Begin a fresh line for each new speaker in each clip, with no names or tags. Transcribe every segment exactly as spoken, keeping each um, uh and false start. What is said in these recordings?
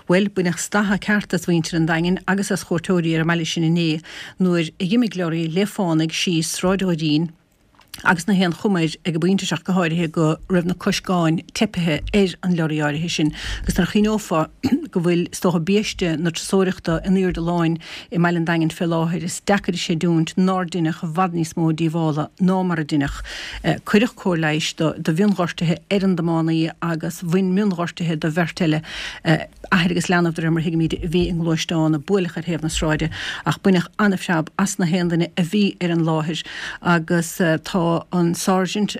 Bhuel, baineadh statha ceart as mhuintir an Daingin agus as chuairteoirí ar an mbaile sin inné nuair a dh'imigh leoraí le fánaidh síos Sráid Dhoirín agus na haon chuma air ag an bpointe seo ach go háirithe go raibh na coscáin teipithe ar an leoraí áirithe sin agus nuair a chuimhneofá go bhfuil is dócha biaiste na turasóireachta in airde láin i mbaile an Daingin fé láthair is deacair a chreidiúint nár deineadh i bhfad níos mó díobhála ná mar a deineadh. Cuireadh cóir leighis do do mhionghortuithe ar an dtiománaí agus bhain mionghortuithe do bheirt eile, athair agus leanbh de réir mar a thuigimid a bhí i ngluaisteán a buaileadh ar thaobh na sráide ach baineadh an-phreab as na haon duine a bhí ar an láthair agus tá an Sergeant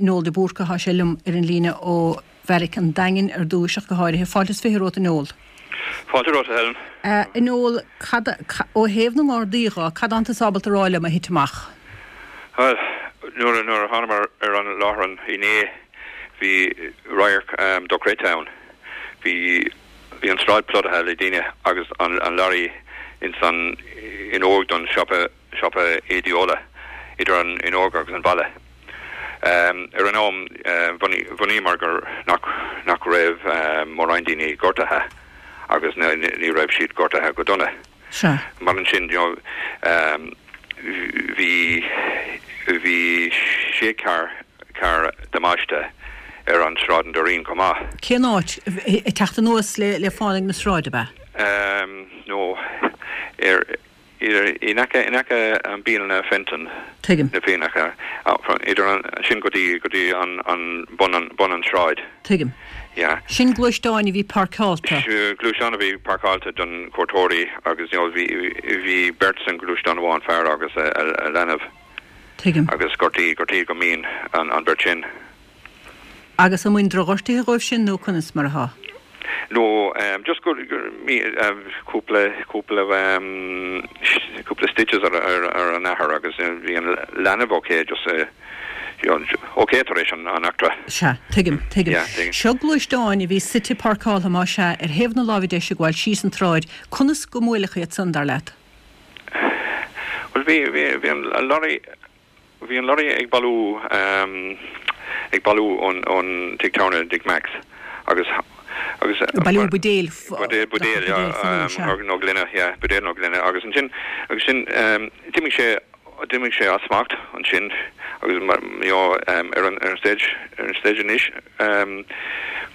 Noel de Búrca, tá sé liom ar an líne ó Bheairic an Daingin ar dtúis ach go háirithe. Fáilte is fiche romhat a Noel.
Fáilte romhat a Helen.
A Noel, cad, ó thaobh na nGardaí dho, cad atánn tusa ábalta a rá liom a thit amach?
Bhuel, nuair a, nuair a thánamar ar an láithreán inné bhí radharc dochreidte ann. Bhí, bhí an tsráid plódaithe le daoine agus an, an lorry ins an fhuinneog don siopa, siopa éadaí idir an fhuinneog agus an bhalla. Ar an am, bhunaíomar gur nach, nach raibh mórán daoine gortaithe agus ní raibh siad gortaithe go dona.
Sea.
Mar ansin, you know, bhí, bhí sé carr, carr damáiste ar an Sráid an Doirín chomh maith.
Cén áit? Ag teacht anuas le, le fánaidh na sráide, ab
ea? No, ar, in aice, in aice an bialanna Fenton.
Tuigim.
Na Fiannacha, idir an, sin go dtí, go dtí an, an bun an, bun an sráid.
Tuigim.
Yeah.
Sin gluaisteáin a bhí páirceáilte.
Gluaisteáin a bhí páirceáilte don cuairteoirí agus you know, bhí, bhí beirt san gluaisteán amháin, fear agus a, a, a leanbh.
Tuigim.
Agus gortaí, gortaí go mion an, an beirt sin.
Agus an mbain drochghortuithe dhóibh sin nó conas mar atá?
No, just gur, gur, cúpla, cúpla, cúpla stitches ar, ar, ar an athair agus bhí an leanbh ok, just, you know, ok tar éis an, an eachtra.
Sea, tuigim, tuigim.
Yeah, tuigim.
Seo gluaisteáin a bhí suite páirceáltha más ea ar thaobh na láimhe deise ag gabháil síos an tsráid, conas go mbuaileadh iad san, dar leat?
Bhuel, bhí, bhí, bhí an lorry, Bhí an lorry ag bailiú ag bailiú ón ón tigh tábhairne Dick Mack's agus agus
Ag bailiú buidéil
buidéil buidéil yeah nó gloine yeah buidéil nó gloine agus ansin agus sin d'imigh sé d'imigh sé as smacht ansin agus you know ar an ar an stage ar an stage anois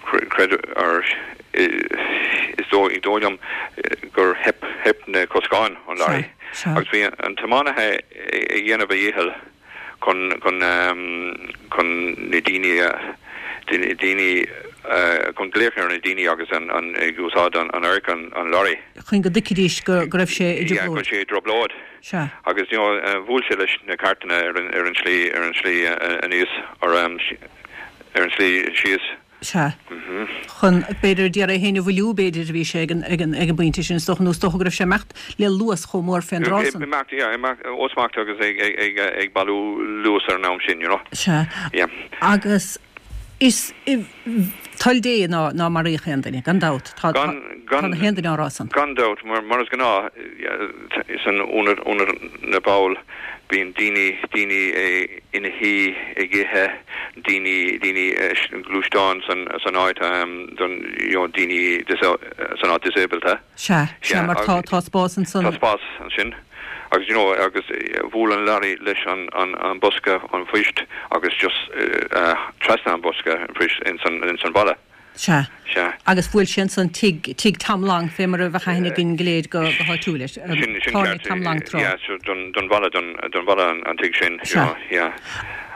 creid or is dóigh dóigh liom gur theip theip na coscáin an lorry agus bhí an tiománaithe ag dhéanamh a dhícheall chun chun chun na daoine a daoine chun glaoch ar na daoine agus an an ag úsáid an an adharc an an lorry.
Chun go dtuigfidís go go raibh sé i
Yeah, go
dtrioblóid.
raibh sé i dtrioblóid.
Sea.
Agus you know bhuail sé leis na cairteanna ar an ar an slí ar an slí aníos or ar an slí síos.
Sea. Chun, b'fhéidir, d'iarraidh é féin a mhoilliú, b'fhéidir, a bhí sé ag an, ag an, ag an bpointe sin, is dócha, nó is dócha go raibh sé ag imeacht le luas chomh mór fén dtráth san.
Ag imeacht, yeah, imeacht ó smacht agus ag, ag, ag, ag bailiú luas ar an am sin, you know.
Sea.
Yeah.
Agus is i, toil Dé ná, ná maraíodh aon duine, gan dabht. Tá, tá,
Gan, gan,
tá na haon duine á rá san.
Gan dabht, mar, mar is gnáth, yeah, san ionad, ionad na bPoll, Bíonn daoine, daoine ina shuí ag ithe, daoine, daoine gluaisteáin san, san áit don, you know, daoine san áit disabled.
Sea, sea, mar tá, tá spás ansan.
Tá spás ansin agus you know agus bhuail an lorry leis an, an, an bosca an phoist agus just trasna an bosca an phoist ins an, ins an bhalla.
Sea.
Sea.
Agus bhuail sé ansan tigh, tigh Tom Long, fé mar a bheadh aithne againn go léir go, go háitiúil air.
Sin, sin
Tábhairne
ceart.
Tom Long tráth.
Yeah, so don, don bhalla, don, don bhalla an, an tigh sin, you
Sea.
know, yeah.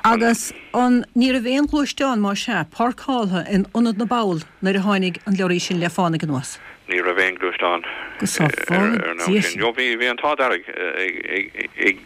An.
Agus an, ní raibh aon ghluaisteán, más ea, páirceáltha in Ionad na bPoll nuair a tháinig an leoraí sin le fánaidh anuas?
Ní raibh aon ghluaisteán
Go
ar,
sábhála
ar an am
Dia
sin.
sinn.
You know, bhí, bhí an t-ádh dearg ag, ag, ag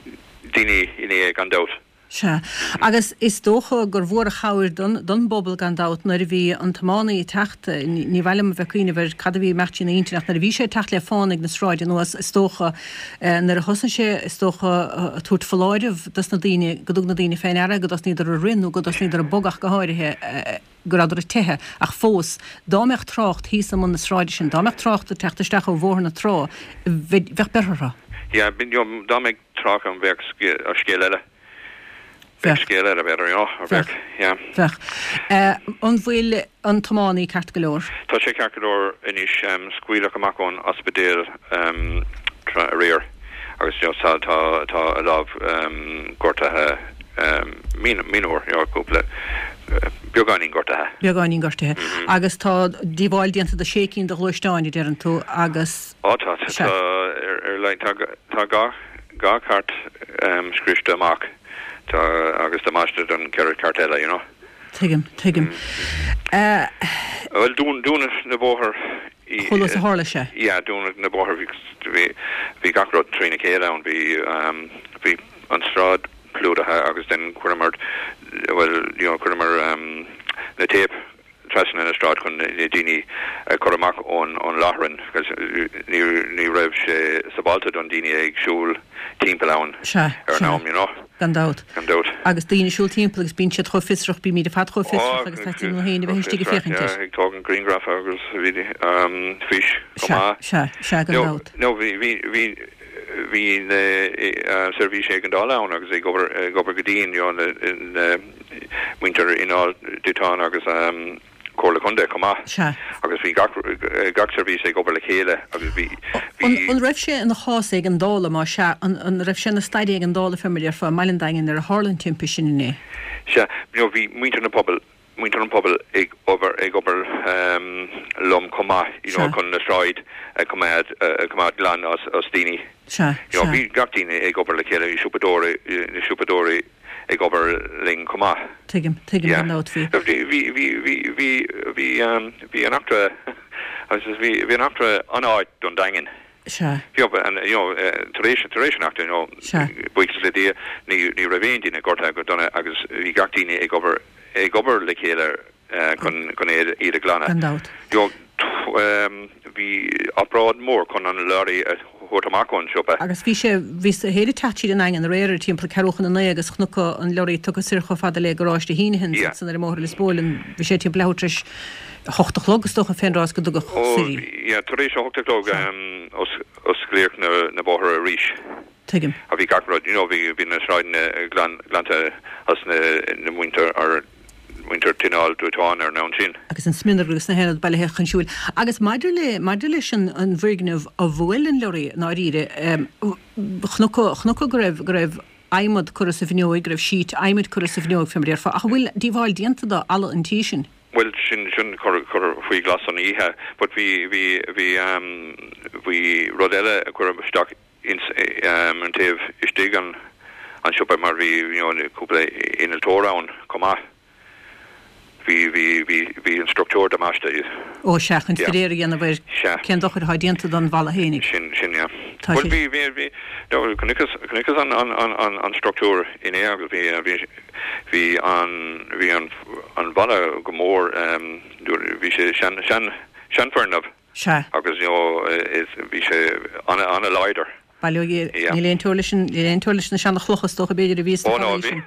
daoine inné gan dabht.
Sea. Agus is dócha gur mhór an chabhair don don bpobal gan dabht nuair a bhí an tiománaí ag teacht, ní mhaith liom a bheith ag cuimhneamh ar cad a bhí ag imeacht trína intinn ach nuair a bhí sé ag teacht le fánaidh na sráide anuas is dócha nuair a thosnaigh sé is dócha ag tabhairt foláireamh dos na daoine go dtug na daoine fé ndeara go dtosnaíodar ag rith nó go dtosnaíodar ag bogadh ach go háirithe go rabhadar ag teitheadh ach fós dá mbeadh trácht thíos i mbun na sráide sin, dá mbeadh trácht ag teacht isteach ó Bhóthar na Trá bheadh beirthe orthu.
Yeah, dá mbeadh trácht ann bheadh scéal eile. Bheadh scéal eile b'fhéidir, you know, or bheadh, yeah.
Bheadh. An bhfuil an tiománaí ceart go leor?
Tá sé ceart go leor anois, scaoileadh amach ón ospidéal aréir agus you know, tá tá tá a lámh gortaithe mionúr, you know, cúpla beagáinín gortaithe.
Beagáinín gortaithe. Agus tá díobháil déanta do sé cinn de ghluaisteáin, a deireann tú, agus.
Ó tá, tá ar ar like tá tá dhá dhá chairt scriosta amach. Tá agus damáiste don ceithre chairt eile, you know.
Tuigim, tuigim.
Bhuel, dún, dúnadh na bóthar
i. Chomh luath is a tharla sé?
Yeah, dúnadh na bóthar, bhí, bhí, bhí gach rud trína chéile ann, bhí, bhí an sráid plódaithe agus then chuireamar, bhuel, you know, chuireamar na téip trasna na sráid chun na daoine a chur amach ón ón láithreán agus ní ní raibh sé sábháilte don daoine ag siúl timpeall ann
Sea,
ar an
sea.
am, you know.
Gan dabht.
Gan dabht.
Agus daoine ag siúl timpeall agus bíonn siad chomh fiosrach, bímid ar fad chomh fiosrach agus taitníonn linn féin a bheith istigh ag féachaint air.
Ag tógaint grianghraf agus bhí fís chomh
Sea,
maith.
sea, sea, gan
No,
dabht.
no, bhí, bhí, bhí, bhí na seirbhísí éigeandála ann agus ag obair, ag obair go dian, you know, na, na muintir inneall dóiteáin agus Comhairle Contae chomh maith.
Sea.
Agus bhí gach, gach seirbhís ag obair le chéile agus bhí, bhí.
An, an raibh sé ina chás éigeandála, má sea, an, an raibh sé ina staid éigeandála fé mar a déarfá i mBaile an Daingin nuair a tharla an timpiste sin inné?
Sea, you know, bhí muintir na pobail, muintir an pobail ag obair, ag obair liom chomh maith, you know, chun na sráid a choimeád, a choimeád glan as, as daoine.
Sea,
You know,
sea.
bhí gach daoine ag obair le chéile, bhí siopadóirí, na siopadóirí ag obair linn chomh maith.
Tuigim, tuigim
Yeah.
gan dabht, bhí.
Bhí, bhí, bhí, bhí, bhí, bhí, um, bhí an eachtra, agus bhí, bhí an eachtra an-ait don Daingean.
Sea.
You know, and, you know, tar éis, tar éis an eachtra, you know,
Sea.
buíochas le Dia, ní, ní raibh aon duine gortaithe go dona agus bhí gach daoine ag obair, ag obair le chéile chun, chun iad, iad a ghlanadh.
Gan dabht.
You know, um, bhí obráid mór chun an lorry a thabhairt amach ón siopa.
Agus bhí sé, bhí sé ag teacht tríd an nDaingean aréir ar timpeall ceathrú chun a naoi agus chonac an lorry tugtha soir chomh fada le garáiste Heneghan's
Yeah.
san ar an mbóthar Lios Póil, bhí sé timpeall leathuair tar éis a hocht a chlog is dócha fén rás go dtugadh
Ó,
soir í.
yeah, tar éis a hocht a chlog um, os, osclaíodh na, na bóithre arís.
Tuigim.
A bhí gach rud, you know, bhí, bhí na sráideanna glan, glanta as na, na muintir ar muintir tinneall dóiteáin ar an am sin.
Agus an smionagar agus na haon rud bailithe chun siúil. Agus maidir le maidir leis an an bhfoirgneamh a bhuail an lorry ndáiríre, um, chonac chonac go raibh go raibh adhmad curtha sa bhfuinneog, go raibh sheet adhmaid curtha sa bhfuinneog fé mar a déarfá, ach an bhfuil díobháil déanta do fhalla an tí sin?
Well sin sin cur cur faoi ghlas an oíche, but bhí bhí bhí um, bhí rud eile a cuireadh isteach ins um, an taobh istigh an an siopa mar bhí you know, cúpla innealtóir ann chomh maith. Bhí bhí bhí bhí an struchtúr damáiste.
Ó sea, chun
Yeah.
staidéar a dhéanamh ar
Sea.
cén dochar atá déanta don bhalla fhéinig.
Sin sin yeah.
Tá
Well
sé-
bhí bhí bhí no chonacthas chonacthas an an an an an struchtúr inné agus bhí bhí bhí an bhí an an bhalla go mór um, bhí sé sean sean seanfhoirgneamh
Sea.
agus you know, is bhí sé an an-láidir.
Bail ó
Yeah.
níl aon teora leis an níl aon teora leis na seanchlocha is dócha b'fhéidir a bhí
Ó, no, bhí.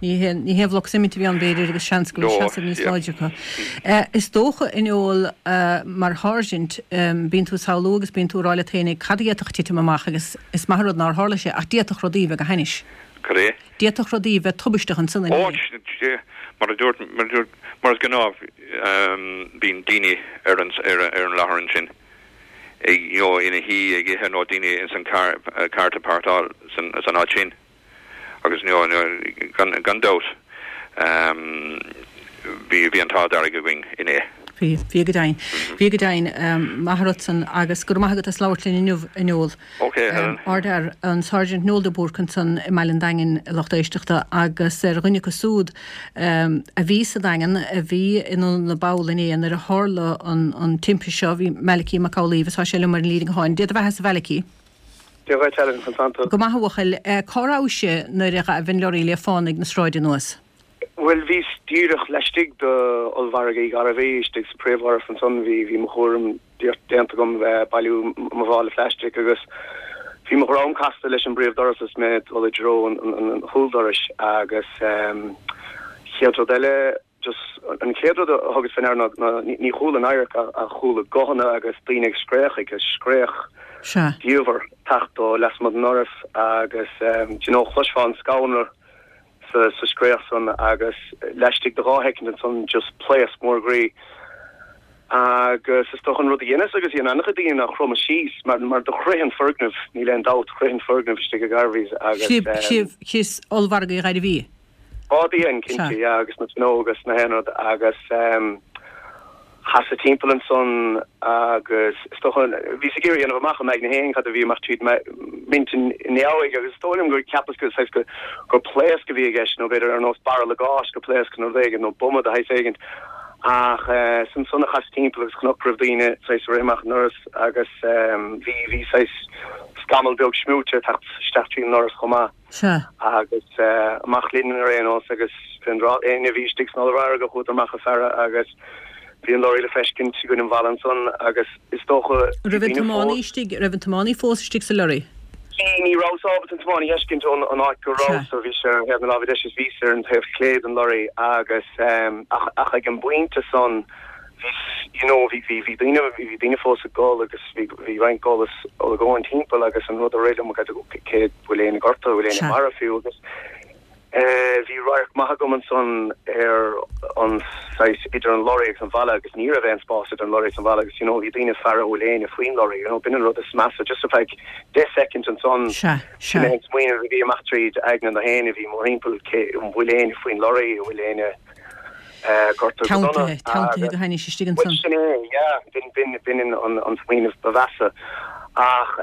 Ní haon ní haon bhloc suimint a bhí ann b'fhéidir agus seans go bhfuil
No,
seasamh níos
yeah.
láidre acu. Eh, Is dócha in Noel uh, mar sháirsint um, bíonn tú ag samhlú agus bíonn tú ag rá leat féin cad a d'fhéadfadh titim amach agus is maith rud nár tharla sé ach d'fhéadfadh rudaí bheith go hainnis.
Cad é?
D'fhéadfadh rudaí bheith tubaisteach ansan
Ó,
inné.
yeah, mar a dúirt mar a dúirt mar is gnáth um, bíonn daoine ar an ar, ar an láthair sin ag you know, ina shuí ag ithe nó daoine ins an car cairt a páirceáil san san áit sin agus you know, no, gan gan dabht um, bhí bhí an t-ádh dearg againn inné.
Bhí bhí go deimhin. Bhí go deimhin um, maith rud san agus go maith agat as labhairt linn inniu a Noel.
Ok, Helen.
Um, Ardfhear an Sergeant Noel de Búrc ansan i mBaile an Daingin lucht éisteachta agus ar dhuine acu siúd um, a bhí sa Daingean a bhí in na ball inné nuair a tharla an, an timpiste seo bhí Malachy Mac Amhlaoibh tá sé liom ar an líne gutháin. Dia do bheatha a Mhalachy.
Dia dhuit Helen Santa.
Go maith a bhuachaill cá raibh tú nuair a ghabh an lorry le fánaidh na sráide anuas.
Well bhí díreach laistigh de ollmhargadh Uí Ghairbhí istigh sa príomhdhoras ansan bhí bhí mo chúram déanta agam bheith bailiú mo mhála plastic agus bhí mo dhroim casta leis an bpríomhdhoras is mé dul i dtreo an, an, an chúldorais agus um, chéad rud eile just an chéad rud a thugas faoi ndeara ná ní ní chuala an adharc a, a chuala guthanna agus daoine ag scréach agus scréach
Sea.
diamhair ag teacht ó lasmuigh den doras agus um, you know, chloisfeá an scanradh sa sa scréach san agus laistigh de dhá shoicind ansan just pléasc mór groí agus is dócha an rud a dheineas agus a dhein an-chuid daoine ná chromas síos mar mar do chroith an foirgneamh níl aon dabht chroith an foirgneamh istigh i Garveys agus
Sibh thíos Ollmhargadh Uí Ghairbhí.
Á bhí an cinnte yeah agus na fuinneoga agus na haon rud agus chasas timpeall ansan agus is dócha bhíos ag iarraidh a dhéanamh amach i m'aigne féin cad a bhí amach tríd m'intinn ina dhiaidh agus is dóigh liom gur cheapas go saghas go gur pléasc a bhí i gceist nó b'fhéidir ar nós barraille gáis gur pléasc nó rud éigin nó buama de shaghas éigin ach is ansan a chasas timpeall agus chonac go raibh daoine saghas ag rith amach an ndoras agus bhí bhí saghas scamall beag smúite ag teacht isteach tríd an ndoras chomh maith.
Sea.
Agus amach linn ar aon nós agus fén dtráth éinne a bhí istigh san ollmhargadh chuadar amach ag faire agus bhí an lorry le feiscint i gcoinne an bhalla ansan agus is dócha
An raibh an tiománaí istigh, raibh an tiománaí fós istigh sa lorry?
Bhí, ní rabhas ábalta an tiománaí a fheiscint ón an áit go rabhas, so bhí sé ar thaobh na láimhe deise is bhíos ar an taobh clé den lorry agus ach ach ag an bpointe san bhí you know bhí bhí bhí daoine bhí bhí daoine fós ag gol agus bhí bhí roinnt gol is olagóin timpeall agus an rud a rith liom cé bhfuil éinne gortaithe bhfuil éinne marbh fiú agus Bhí radharc maith agam ansan ar an saghas idir an lorry agus an bhalla agus ní raibh aon spás idir an lorry agus an bhalla agus you know bhí daoine ag faire an bhfuil éinne faoin lorry you know b'in an rud is measa just ar feadh deich soicind ansan sin é an smaoineamh a bhí amach tríd aigne na héinne a bhí mórthimpeall cé an bhfuil éinne faoin lorry an bhfuil éinne gortaithe go dona
Teanntaithe teanntaithe go hainnis istigh
ansan. Bhuel sin é yeah b'in b'in b'in an an smaoineamh ba mheasa ach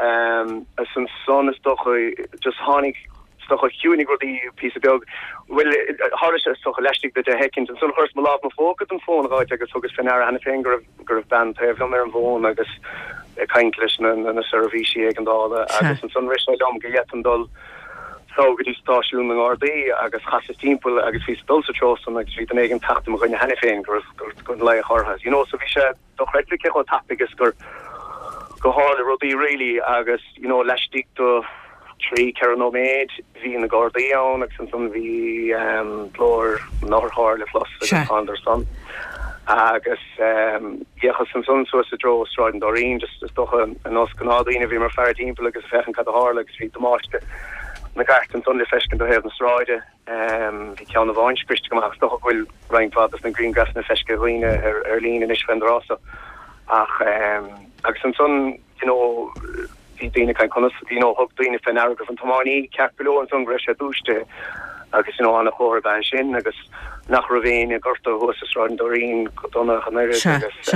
is ansan is dócha just tháinig Is dócha chiúinigh rudaí píosa beag. Bhuel, tharla sé is dócha laistigh de deich shoicind. Ansan chuireas mo lámh i mo phóca don fón a dh'fháilt agus thugas fé ndeara cheana féin go raibh, go raibh bean taobh liom ar an bhfón agus ag caint leis na, na seirbhísí éigeandála agus ansan rith sé liom go bhféadfainn dul so go dtí stáisiún na nGardaí agus chasas timpeall agus bhíos ag dul sa treo san agus bhí duine éigin ag teacht i mo choinne cheana féin go raibh, go raibh, go raibh laoch orthu. You know, so bhí sé dochreidte cé chomh tapaidh is gur, go tharla rudaí really agus you know laistigh de trí, ceithre nóiméad bhí na Gardaí ann agus ansan bhí glór an otharchairr le clos agus thánadar san agus d'fhéachas ansan suas i dtreo Sráid an Doirín just is dócha ar nós gnáthdhaoine bhíomar ag faire timpeall agus ag féachaint cad a tharla agus bhí damáiste na gcairt ansan le feiscint ó thaobh na sráide. Bhí ceann amháin scriosta go maith is dócha go bhfuil roinnt mhaith dos na grianghraifeanna feiscithe ag dhaoine ar líne anois fén dtráth so ach agus ansan you know bhí daoine ag caint conas you know thug daoine fé ndeara go raibh an tiománaí ceart go leor ansan go raibh sé dúisithe agus you know an-chomhartha ab ea sin agus nach raibh éinne gortaithe thuas i Sráid an Doirín go dona ach an oiread agus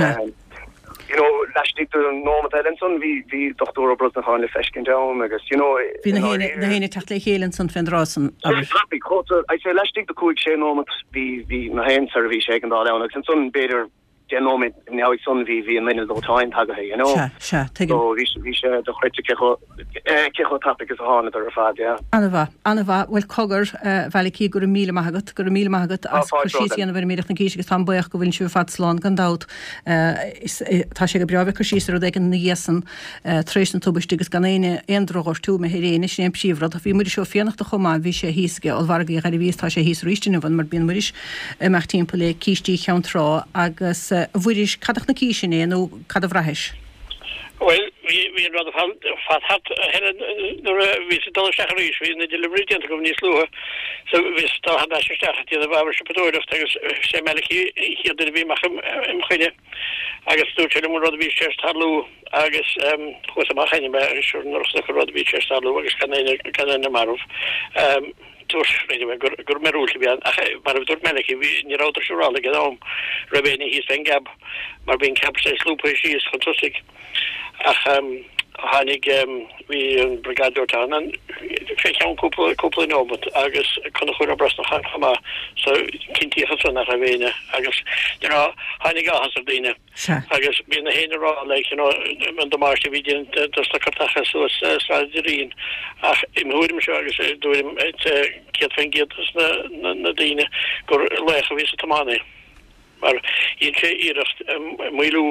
you know laistigh de nóiméad eile ansan bhí bhí Dochtúir Ó Brosnacháin le feiscint ann agus you know
Bhí na héinne na héinne ag teacht le chéile ansan fén dtráth san abair.
Tapaidh chomh I'd say laistigh de cúig sé nóiméad bhí bhí na haon seirbhís éigeandála ann agus ansan b'fhéidir deich nóiméad ina dhiaidh san bhí bhí an inneall dóiteáin tagaithe, you know.
Sea, sea, tuigim.
So bhí bhí sé dochreidte cé chomh eh cé chomh tapaidh is a thánadar ar fad, yeah.
An-mhaith, an-mhaith. Bhuel cogar, a Mhalachy, go raibh míle maith agat, go raibh míle maith agat
Tá
as cur
fáilte
síos a
romhat.
dhéanamh ar an Míreach na Císte agus táim buíoch go bhfuil sibh ar fad slán gan dabht. Eh is eh tá sé go breá bheith ag cur síos ar rud éigin ina dhiaidh san eh tar éis na tubaiste agus gan éinne aon drochghortú imithe ar éinne, sin é an príomhrud. Bhí Muiris Ó Fiannachta chomh maith, bhí sé thíos ag Ollmhargadh Uí Ghairbhí is tá sé thíos arís inniu mar bíonn Muiris ag imeacht timpeall le cístí Cheann Trá agus, a Mhuiris, cad a chonaicis inné nó cad a bhraithis?
Bhuel, bhí, bhí an rud ar fad thart, a Helen, nuair a bhíos ag dul isteach arís, bhí na deliveries déanta agam níos luaithe, so bhíos ag dul thar n-ais isteach ag déanamh ábhar siopadóireachta agus sé Malachy an chéad duine a bhí amach im choinne agus dúirt sé liom an rud a bhí tar éis tarlú agus chuas amach cheana mé agus sure nuair a chonac an rud a bhí tar éis tarlú agus gan éinne, gan éinne marbh. Dúirt anyway gur gur míorúilt a bhí ann ach mar a dúirt Malachy bhí ní rabhadar siúráilte ag an am raibh éinne thíos fén gcab mar bhí an cab saghas lúbtha síos chun tosaigh ach tháinig bhí an briogáid dóiteáin ann fé cheann cúpla cúpla neomat agus Conchúr Ó Brosnacháin chomh maith so cinntíodh ansan nach raibh éinne agus you know tháinig áthas ar daoine.
Sea.
Agus bhí na héinne ag rá like you know an damáiste a bhí déanta dos na cairteacha suas Sráid an Doirín ach im thuairimse agus i dtuairim céad faoin gcéad dos na na daoine gur laoch a bhí sa tiománaí mar dhein sé iarracht maolú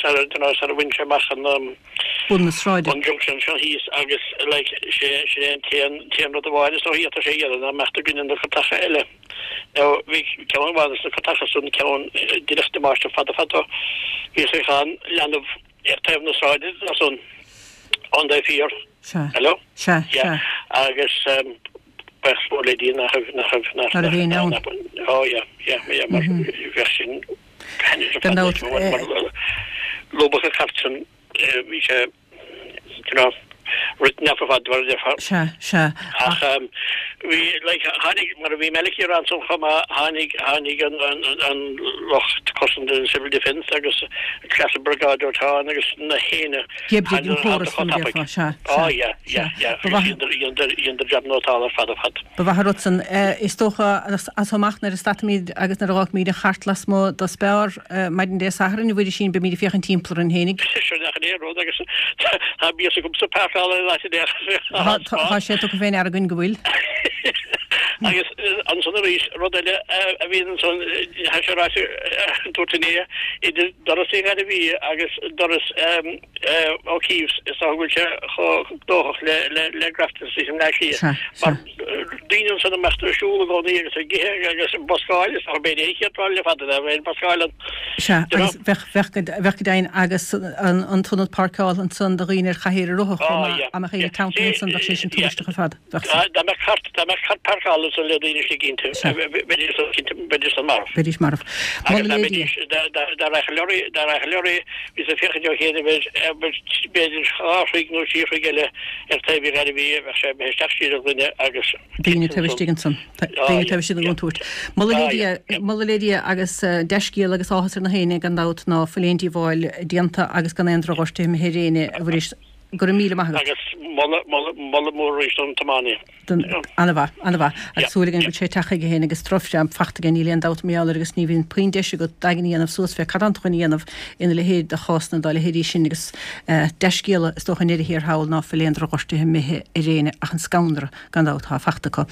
sar you know sar a bhain sé amach an
Bun na sráide.
an junction seo thíos agus like sé sé an t-aon t-aon rud amháin is dóigh a d'fhéadfadh sé a dhéanamh ná imeacht i gcoinne na cairteacha eile. Now bhí ceann amháin dos na cairteacha san ceann díreach damáiste fada fada bhí sé chun leanbh ar taobh na sráide ansan on the pier.
Sea.
Hello?
Sea,
Yeah.
sea.
Agus um, Buíochas mór le Dia nach raibh, nach raibh, nach
Nach raibh éinne ann.
Oh yeah, yeah, yeah, mar bheadh sin
Gan dabht,
mar lúbadh an chairt sin, bhí sé, you know, written off ar fad, mar a déarfá.
Sea, sea.
Ach bhí, like, tháinig, mar a bhí Malachy a rá ansan chomh maith, tháinig, tháinig an, an, an lucht cosanta, an Civil Defence agus an Claddagh Briogáid Dóiteáin agus na héinne.
D'oibrigh an córas, mar a déarfá, sea, sea.
Oh yeah, yeah, yeah.
Ba mhaith.
Agus dheineadar jab nótálta ar fad ar fad.
Ba mhaith an rud san. Is dócha, as so amach nuair a stadfaimid agus nuair a dh'fhágfaimid an chairt lasmuigh do Spar maidin Dé Sathairn, a Mhuirisín, beimid ag féachaint timpeall orainn fhéinig.
Sin nach é an rud agus tá mias agamsa páirceáil in áit
Tá, tá sé tugtha fé ndeara againn go bhfuil.
Agus ansan arís, rud eile a bhíonn ansan, tá sé ráite, dúirt inné, idir doras Uí Ghairbhí agus doras O'Keeffe's, is dócha go bhfuil sé chomh gnóthach le le Grafton Street i mBleá Cliath.
Sea, sea.
Mar daoine ansan ag imeacht ar siúl i gcónaí agus ag ithe agus ag buscáil, is dócha b'fhéidir an chéad lá le fada ná bheith ag buscáil an
Sea, agus bheadh, bheadh go, bheadh go deimhin agus an, an t-ionad páirceála ansan do dhaoine ar chathaoir rotha chomh maith, dá mbeadh éinne teanntaithe ansan bheadh sé sin tubaisteach ar fad. Bheadh
san. Dá mbeadh cairt, dá mbeadh cairt páirceála ansan le daoine istigh inti, bheidís san cinnte, bheidís san marbh.
Bheidís marbh.
Agus dá mbeidís, dá, dá, dá rachadh leoraí, dá rachadh leoraí, bhíos ag féachaint ó chéad b'fhéidir, b'fhéidir dhá throigh nó trí throigh eile ar taobh Uí Ghairbhí, bheadh sé imithe isteach siar i dhuine agus
Daoine taobh istigh ansan. Daoine taobh istigh den gcontúirt. Moladh le Dia, moladh le Dia agus dea-scéal agus áthas ar na héinne gan dabht ná fuil aon díobháil déanta agus gan aon drochghortuithe imithe ar éinne, a Mhuiris. Go raibh míle maith agat.
Agus moladh, moladh, moladh mór arís don tiománaí.
Don, an-mhaith, an-mhaith. Agus súil againn go bhfuil sé ag teacht chuige féin agus drochphreab fachta aige, níl aon dabht mar gheall air agus ní bhíonn puinn deis agat d'aigne a dhéanamh suas fé cad tánn tú chun a dhéanamh ina leithéid de chásanna dá leithéidí sin agus dea-scéala is dócha i ndeireadh thiar thall ná fuil aon drochghortuithe imithe ar éinne ach an scanradh gan dabht atá fachta acu.